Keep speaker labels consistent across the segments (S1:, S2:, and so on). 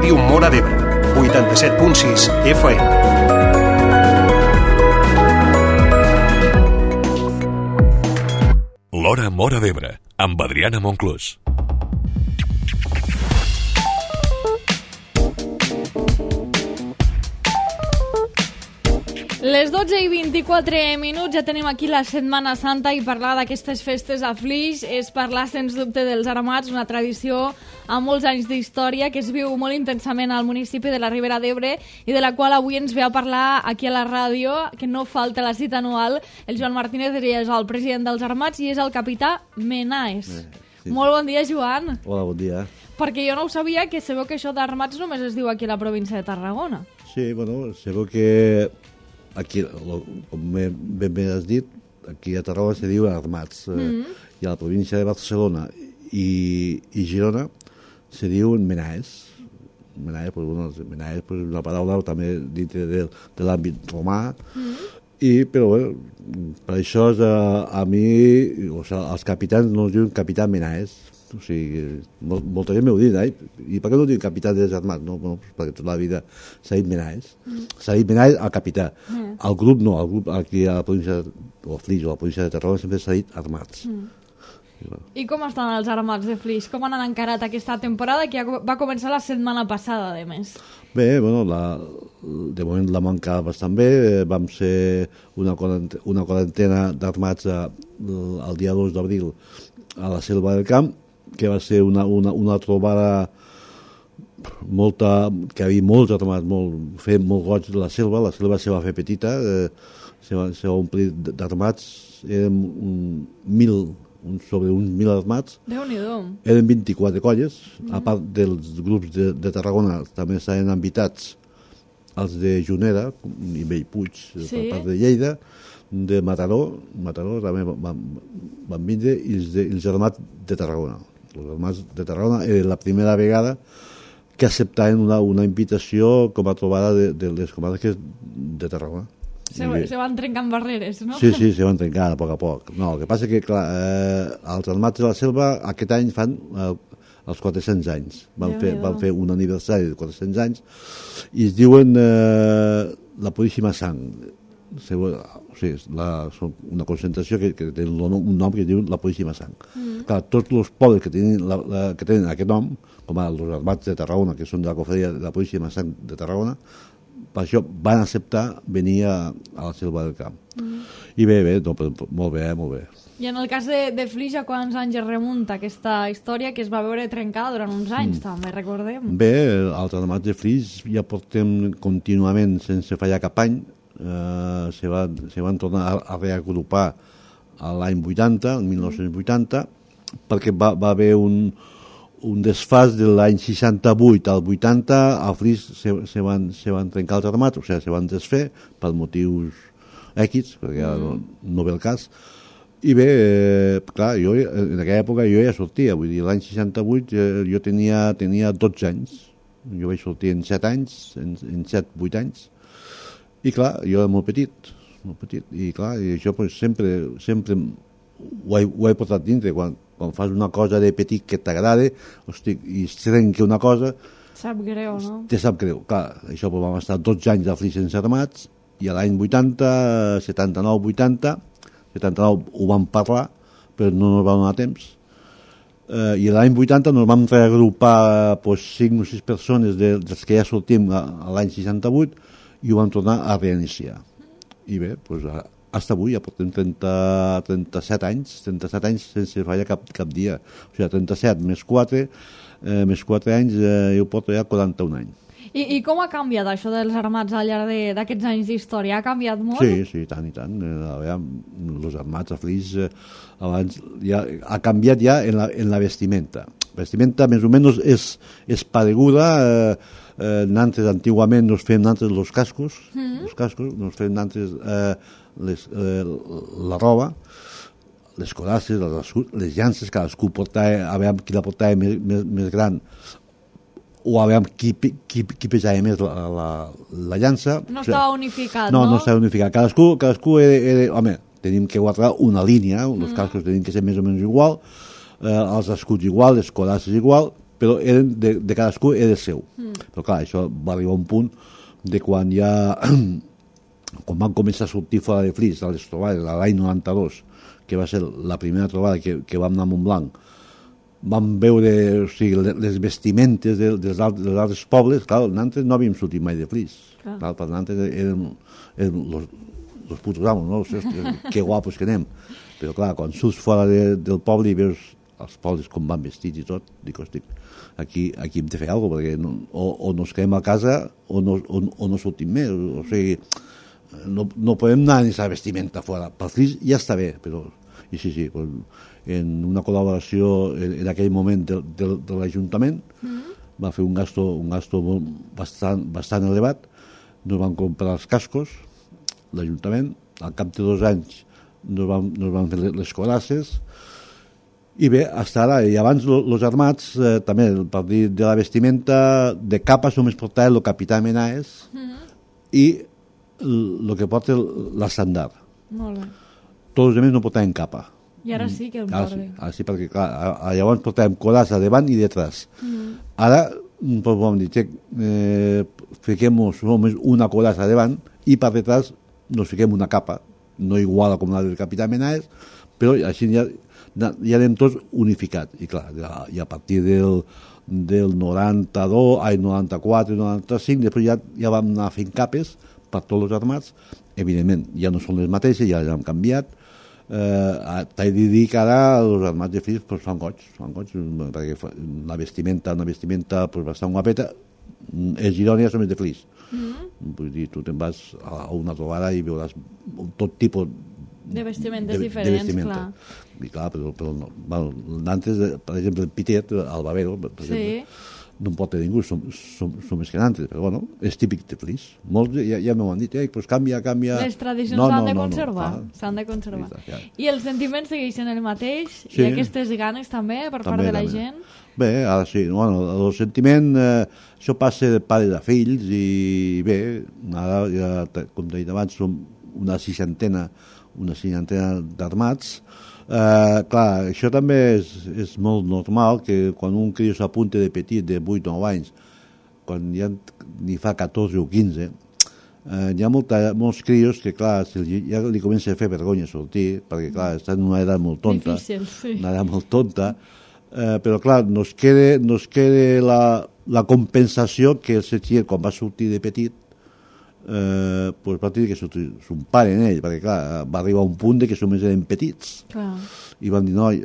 S1: Ràdio Móra d'Ebre, 87.6 FM.
S2: L'Hora Móra d'Ebre, amb Adriana Monclús.
S3: Les 12:24 ja tenim aquí la Setmana Santa i parlar d'aquestes festes a Flix és parlar sens dubte dels Armats, una tradició amb molts anys d'història que es viu molt intensament al municipi de la Ribera d'Ebre i de la qual avui ens ve a parlar aquí a la ràdio, que no falta la cita anual. El Joan Martínez és el president dels Armats i és el capità Menaes. Sí. Molt bon dia, Joan.
S4: Hola, bon dia.
S3: Perquè jo no ho sabia, que sabeu que això d'Armats només es diu aquí a la província de Tarragona.
S4: Sí, bueno, sabeu que aquí, com ben bé has dit, aquí a Tarragona se diu Armats, i a la província de Barcelona i Girona se diu Menaes. Menaes, és una paraula també dintre de l'àmbit romà, però bé, per això a mi, els capitans no es diuen capità Menaes. O sigui, molta gent m'ho dit, i per què no diuen capità dels Armats? No, perquè tota la vida s'ha dit Menaes. S'ha dit Menaes al capità. El grup no, el grup aquí a la província de Flix o a la província de Tarragona sempre s'ha dit Armats.
S3: I com estan els Armats de Flix? Com han encarat aquesta temporada que va començar la setmana passada, a més?
S4: Bé, bueno, de moment la manca bastant bé. Vam ser una quarantena d'Armats el dia 2 d'abril a la Selva del Camp, que va ser una trobada que hi havia molts Armats, feien molt goig de la selva se va fer petita, se va omplir d'Armats, eren sobre uns 1.000 Armats.
S3: Déu-n'hi-do.
S4: Eren 24 colles, a part dels grups de Tarragona també estaven invitats els de Juneda i Bellpuig, per part de Lleida, de Mataró també van vindre, i els Armats de Tarragona. Els Armats de Tarragona era la primera vegada que acceptaven una invitació com a trobada de les comarques de Tarragona.
S3: Se van trencant barreres, no?
S4: Sí, se van trencant a poc. No, el que passa que, clar, els Armats de la Selva aquest any fan els 400 anys. Van fer un aniversari de 400 anys i es diuen la Puríssima Sang. O sigui, és una concentració que té un nom que es diu la Puríssima Sang. Clar, tots els pobles que tenen aquest nom, com els Armats de Tarragona, que són de la cofreria de la Puríssima Sang de Tarragona, per això van acceptar venir a la Selva del Camp. I bé, molt bé.
S3: I en el cas de Flix, a quants anys es remunta aquesta història que es va veure trencada durant uns anys, també, recordem?
S4: Bé, els Armats de Flix ja portem contínuament, sense fallar cap any. Se van tornar a reagrupar l'any 80, el 1980, perquè va haver un desfàs de l'any 68 al 80, a Flix se van trencar els Armats, o sigui, se van desfer per motius X, perquè no ve el cas. I bé, clar, en aquella època jo ja sortia, vull dir, l'any 68 jo tenia 12 anys, jo vaig sortir en 7 anys, en 7-8 anys, i clar, jo era molt petit, i clar, i això sempre ho he portat dintre. Quan fas una cosa de petit que t'agrada, i es trenca una cosa,
S3: sap greu, no?
S4: Te sap greu, clar, això vam estar 12 anys a Flix sense Armats, i a l'any 80, 79 ho vam parlar, però no ens va donar temps, i l'any 80 ens vam reagrupar 5 o 6 persones dels que ja sortim a l'any 68, i ho vam tornar a reiniciar. I bé, fins avui ja portem 37 anys sense fallar cap dia. O sigui, 37 més 4 anys, jo porto ja 41 anys.
S3: I com ha canviat això dels Armats al llarg d'aquests anys d'història? Ha canviat molt?
S4: Sí, tant i tant. Els Armats a Flix abans ha canviat ja en la vestimenta. La vestimenta més o menys és pareguda. Nantes antigament nos fem nantes els cascos, nos fem nantes la roba, les codasses, les llances, cadascú portava, a veure qui la portava més gran, o a veure qui pesava més la llança.
S3: No estava unificat, no?
S4: No estava unificat. Cadascú era... Home, tenim que guardar una línia, els cascos tenim que ser més o menys igual, els escuts igual, les codasses igual, però eren de cadascú era seu. Però clar, això va arribar a un punt de quan ja quan van començar a sortir fora de Flix a les trobades l'any 92, que va ser la primera trobada que vam anar a Montblanc, vam veure, o sigui, les vestimentes dels altres pobles. Clar, nosaltres no havíem sortit mai de Flix. Clar, per nosaltres eren los putos amos, no? Que guapos que anem. Però clar, quan surts fora del poble i veus els pobles com van vestits i tot, dic, hosti, aquí hem de fer alguna cosa, perquè o nos quedem a casa o no sortim més. O sigui, no podem anar en aquesta vestimenta fora. Per Flix ja està bé, però... I sí, en una col·laboració en aquell moment de l'Ajuntament va fer un gasto bastant elevat. Nos van comprar els cascos, l'Ajuntament, al cap de 2 anys nos van fer les colasses, i bé, fins ara, i abans els armats, també, a partir de la vestimenta, de capes només portava el capità Menaes i el que porta l'estandard.
S3: Molt bé.
S4: Tots els altres no portaven capa.
S3: I ara sí que el porten.
S4: Ara sí, perquè clar, llavors portàvem colassa davant i detrás. Ara, pues, vam dir, fiquem només una colassa davant i per detrás nos fiquem una capa, no igual com la del capità Menaes, però així ja anem tots unificats. I clar, i a partir del 92, 94, 95, després ja vam anar fent capes per tots els armats. Evidentment, ja no són les mateixes, ja han canviat. T'he de dir que ara els armats de Flix fan goig, perquè una vestimenta pues, bastant guapeta. Els Girònia són els de Flix. Vull dir, tu te'n vas a una trobada i veuràs tot tipus
S3: de vestimentes diferents, clar.
S4: I clar, però no. Bueno, antes, per exemple, el Pitet, el Bavero, per exemple, no en pot tenir ningú, som més que nantes, però bueno, és típic de Flix. Molts ja m'ho han dit, pues canvia...
S3: Les tradicions s'han de conservar, s'han de conservar. I els sentiments segueixen el mateix? I aquestes ganes també per part de la gent?
S4: Bé, ara sí, bueno, el sentiment, això passa de pares a fills i bé, ara, com t'he dit abans, som una seixantena d'armats. Clar, això també és molt normal que quan un crió s'apunta de petit, de 8 o 9 anys, quan ja n'hi fa 14 o 15, hi ha molts crios que, clar, ja li comença a fer vergonya sortir, perquè, clar, estan en una edat molt tonta.
S3: Difícil, sí.
S4: Una edat molt tonta, però, clar, nos queda la compensació que el setxier, quan va sortir de petit, pues va tenir que sortir son pare en ell, perquè clar, va arribar a un punt de que només eren petits.
S3: Clar.
S4: I van dir, noi,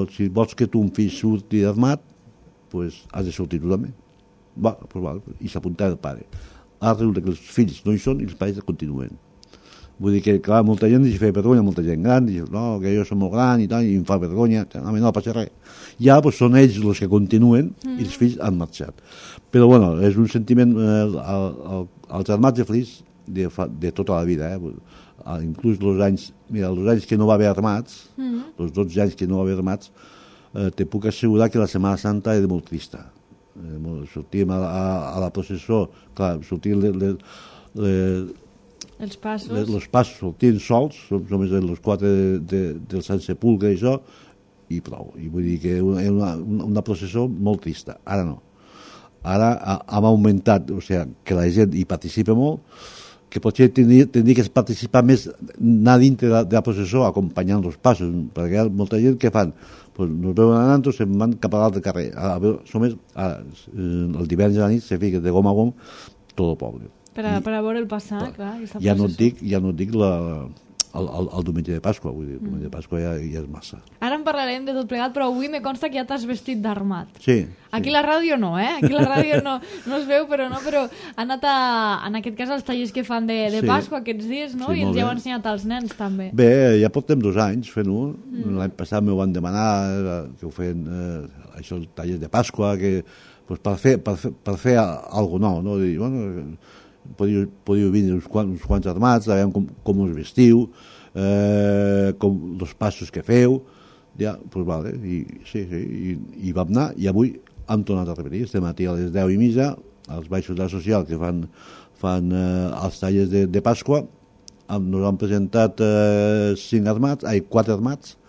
S4: si vols que tu un fill surti armat, pues has de sortir tu també. Pues va, i s'apuntava el pare. Ara resulta que els fills no hi són i els pares continuen. Vull dir que, clar, molta gent li fa vergonya, molta gent gran, diu, no, que jo som molt gran i tal, i em fa vergonya, no passa res. I ara pues, són ells els que continuen i els fills han marxat. Però, bueno, és un sentiment, els armats de Flix de tota la vida, inclús els anys que no va haver armats, els 12 anys que no va haver armats, te puc assegurar que la Setmana Santa era molt trista. Sortíem a la processó, clar, sortíem
S3: els passos
S4: sortien sols, només els 4 del Sant Sepulcre i això, i prou. I vull dir que era una processó molt trista. Ara no. Ara hem augmentat, o sigui, que la gent hi participa molt, que potser tindria que participar més, anar dintre de la processó acompanyant els passos, perquè hi ha molta gent que fan, pues, nos veuen anant, se'n van cap a l'altre carrer. El divendres a la nit se fica de gom a gom tot el poble.
S3: Per a veure el passar, clar.
S4: Ja no et dic el diumenge de Pasqua, vull dir, el diumenge de Pasqua ja és massa.
S3: Ara en parlarem de tot plegat, però avui me consta que ja t'has vestit d'armat.
S4: Sí.
S3: Aquí la ràdio no, Aquí la ràdio no es veu, però ha anat en aquest cas als tallers que fan de Pasqua aquests dies, no? I ens ja heu ensenyat als nens, també.
S4: Bé, ja portem 2 anys fent-ho. L'any passat m'ho van demanar que ho feien, això, els tallers de Pasqua, que, pues, per fer alguna nou, no? Dir, bueno, podíeu venir uns quants armats, a veure com us vestiu, com els passos que feu, ja, doncs vale, i vam anar, i avui hem tornat a repetir, estem matí a les 10:30, als baixos de la social que fan els tallers de Pasqua, nos han presentat 4 armats,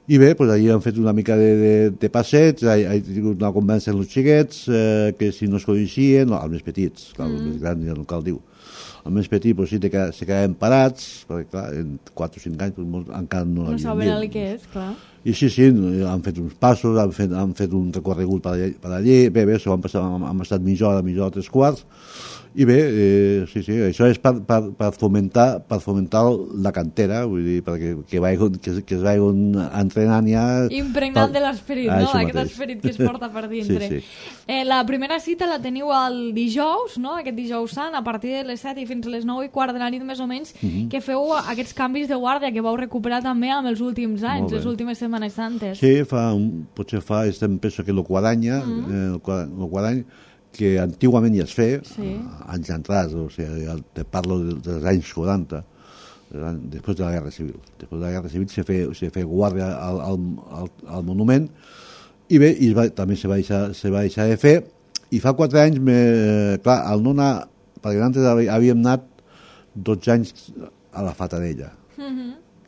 S4: I bé, doncs allí han fet una mica de passeig, he tingut una conversa amb els xiquets, que si no es coneixien, no, els més petits, clar, els més grans ja no cal dir. Els més petits doncs, sí que se quedaven parats, perquè clar, en 4 o 5 anys doncs, encara no l'havien vist.
S3: No saben el que és, clar.
S4: I sí, han fet uns passos, han fet un recorregut per allí, bé, s'ho van passar, hem estat mitja hora, 3/4, i bé, sí, això és per fomentar la cantera, vull dir, perquè que es vagin entrenant ja...
S3: Impregnant de l'esperit, no? Aquest esperit que es porta per dintre.
S4: Sí.
S3: La primera cita la teniu el dijous, no? Aquest dijous sant, a partir de les 7 i fins a les 9:15 de la nit més o menys, que feu aquests canvis de guàrdia que vau recuperar també amb els últims anys, les últimes Setmanes Santes.
S4: Sí, potser fa, penso que el quadany, que antigament ja es feia, anys entrats, o sigui, te parlo dels anys 40, després de la Guerra Civil. Després de la Guerra Civil se feia guàrdia al monument, i bé, també se va deixar de fer, i fa 4 anys, clar, al no anar, perquè antes havíem anat 12 anys a la Fatarella,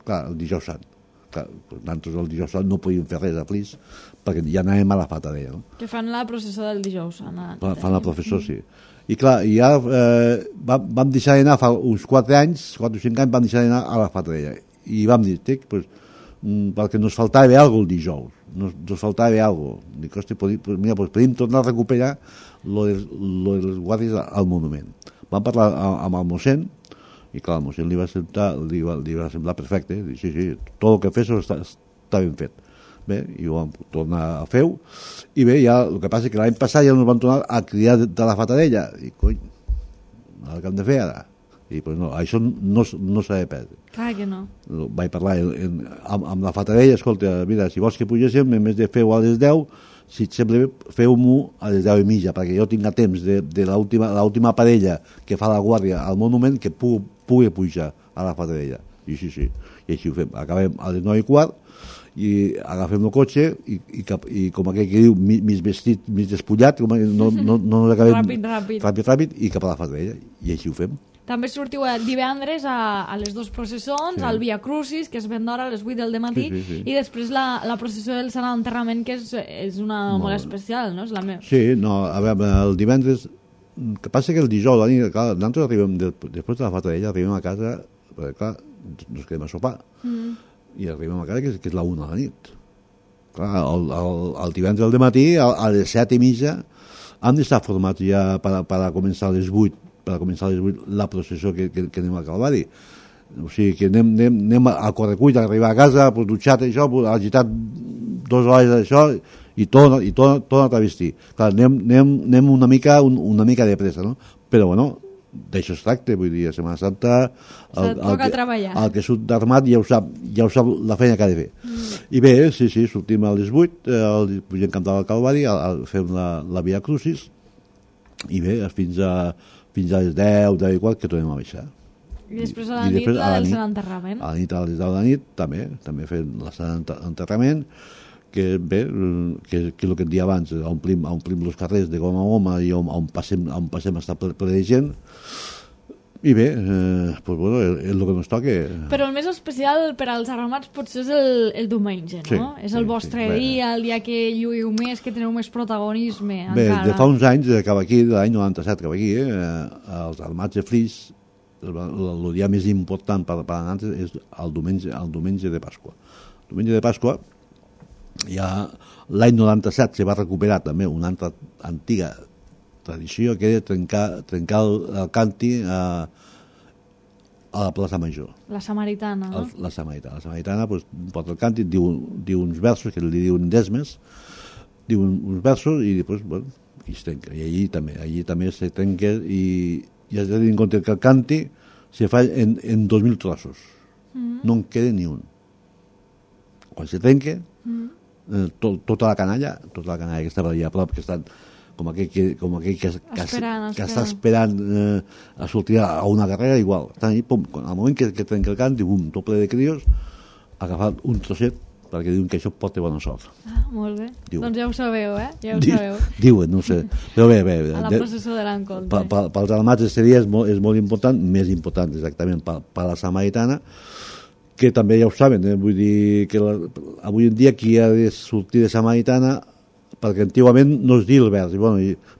S4: clar, el dijous sant. Nosaltres el dijous sant no podíem fer res a Flix perquè ja anàvem a la Fatarella, no?
S3: Que fan la processó del dijous sant.
S4: Fan la processó, sí. I clar, ja vam deixar d'anar fa uns 4 anys, 4 o 5 anys vam deixar d'anar a la Fatarella, i vam dir, perquè nos faltava alguna cosa el dijous, nos faltava alguna cosa. Dic, hosti, mira, podíem tornar a recuperar lo dels guàrdies al monument. Vam parlar amb el mossèn, i clar, al mossèn li va semblar perfecte, sí, tot el que fes està ben fet. Bé, i ho vam tornar a fer, i bé, ja el que passa és que l'any passat ja ens van tornar a cridar de la Fatarella, i cony, el que hem de fer ara? I pues no, això no s'ha de perdre.
S3: Clar que no.
S4: Vaig parlar amb la Fatarella, escolta, mira, si vols que pugéssim, en més de fer-ho a les 10, si et sembla bé, feu-m'ho a les 10:30, perquè jo tinc temps de l'última parella que fa la guàrdia al monument que pugui pujar a la Fatarella. I sí, i així ho fem. Acabem a les 9:15 i agafem el cotxe i com aquell que diu, mig vestit, mig despullat, no ens acabem... Ràpid, i cap a la Fatarella. I així ho fem.
S3: També sortiu divendres a les 2 processons, al Via Crucis, que es ven d'hora a les 8 del dematí, i després la processó del Sant Enterrament, que és una molt especial, no? És la meva.
S4: Sí, no, a veure, el divendres... El que passa que el dijous, clar, nosaltres arribem, després de la Fatarella, arribem a casa, perquè clar, ens quedem a sopar, i arribem a casa que és la 1 de la nit. Clar, el divendres al dematí, a les 7:30, hem d'estar formats ja per a començar a les 8, la processó que anem al Calvari. O sigui que anem a correcuit, a arribar a casa, dutxat això, agitat 2 hores d'això, i tornat a vestir. Clar, anem una mica de pressa, no? Però bueno, d'això es tracta, vull dir, a Setmana Santa el que surt d'armat ja ho sap la feina que ha de fer. I bé, sí, sortim a les 8, pugem Camp del Calvari, fem la Via Crucis, i bé, fins a les 10 igual que tornem a baixar.
S3: I després a la nit la del Sant Enterrament.
S4: A la nit, a les 10 de la nit, també fem el Sant Enterrament, que bé, que és el que et dia abans, omplim els carrers de goma a goma i on passem a estar ple de gent, i bé, pues bueno, és el que ens toca.
S3: Però el més especial per als arramats potser és el diumenge, no? És el vostre dia, el dia que lluïu més, que teniu més protagonisme encara.
S4: Bé, de fa uns anys, cap aquí, de l'any 97 cap aquí, els armats de Flix, el dia més important per a nosaltres és el diumenge de Pasqua. El diumenge de Pasqua, ja l'any 97 se va recuperar també una altra antiga tradició, que era trencar el càntir a la plaça Major.
S3: La Samaritana, no?
S4: La Samaritana pues, porta el càntir, diu uns versos, que li diuen desmes, diu uns versos i després, bueno, i es trenca. I allí també se trenca i has de tenir en compte que el càntir se fa en 2.000 trossos. No en queda ni un. Quan se trenca, tota la canalla que estava allà a prop, que estan com aquell que està esperant a sortir a una carrera, igual. Estan allà, pum, al moment que trenca el càntir, bum, tot ple de crios, agafat un trosset, perquè diuen que això porta bona sort.
S3: Molt bé. Doncs ja ho sabeu, Ja ho sabeu.
S4: Diuen, no sé. Però bé.
S3: A la processó de l'encontre.
S4: Pels armats este dia és molt important, més important exactament per la Samaritana, que també ja ho saben, vull dir que avui en dia qui ha de sortir de Samaritana, perquè antigament no es diu el vers,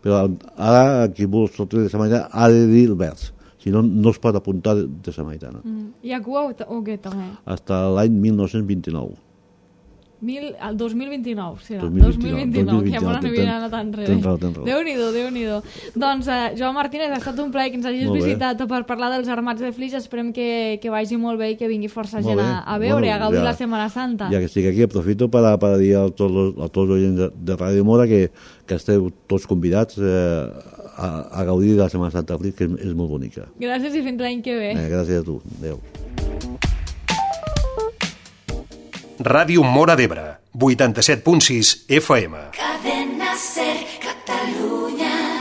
S4: però ara qui vol sortir de Samaritana ha de dir el vers, si no, no es pot apuntar de Samaritana.
S3: I a Cuba o què també?
S4: Fins l'any 1929.
S3: El 2029, serà.
S4: 2029,
S3: que molt n'havia anat enrere.
S4: Tens raó.
S3: Déu-n'hi-do. Doncs, Joan Martínez, ha estat un plaer que ens hagis visitat per parlar dels Armats de Flix. Esperem que vagi molt bé i que vingui força gent a veure, a gaudir la Setmana Santa.
S4: Ja que estic aquí, aprofito per dir a tots els oients de Ràdio Mora que esteu tots convidats a gaudir de la Setmana Santa de Flix, que és molt bonica.
S3: Gràcies i fins l'any que ve.
S4: Gràcies a tu. Adéu.
S1: Ràdio Mora d'Ebre, 87.6 FM.
S5: Cadena Ser.